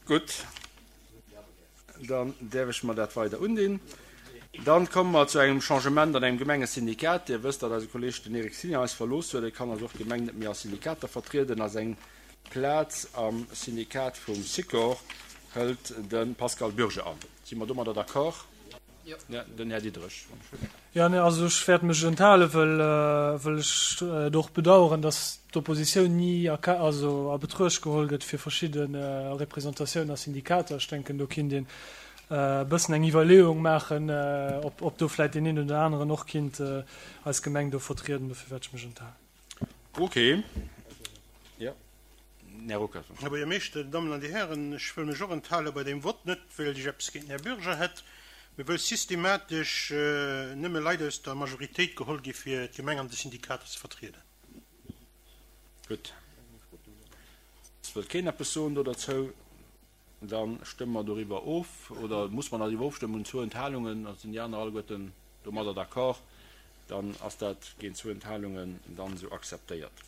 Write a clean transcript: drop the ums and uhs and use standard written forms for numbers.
Gutt, dann däerf ech mer dat weider undinn. Dann komme mer zu engem Changement an engem Gemengesyndikat. Dir wësst, datt eise Kolleeg den Eric Signer eis verlooss huet. E kann also och d'Gemeng net méi a Syndikater vertrieden. A seng Plaz am Syndikat vum Sikor hëlt de Pascal Bürger an. Si mer domadder d'accord? Jo. Den Här Diderich. Jo, nee, also ech wäert mech enthalen, well, well ech et och bedauern, dass d'Oppositioun ni a, also a Betruecht geholl gëtt fir verschidde Representatiounen a Syndikater. Ech denken, do kinnt een e bëssen eng Iwwerleeung maachen, ob, ob do vläicht deen een oder aneren och kinnt eis Gemeng do vertrieden. Dofir wäert ech mech enthalen. Ok. Jo, Här Ruckert. Här Buergermeeschter, Dir Dammen an Dir Hären, ech wëll mech och enthale bei deem Vott, net well ech eppes géint den Här Bürger hätt, mee wëll systematesch nëmme Leit aus der Majoritéit geholl gi fir d'Gemeng an de Syndikater ze vertrieden. Gutt. Et wëllt keen eppes soen do derzou. Da stëmme mer doriwwer of, oder muss mer doriwwer ofstëmmen? Hunn zwou Enthalungen, da sinn déi aner alleguerten domadder d'accord. Dann ass dat géint zwou Enthalungen dann esou akzeptéiert.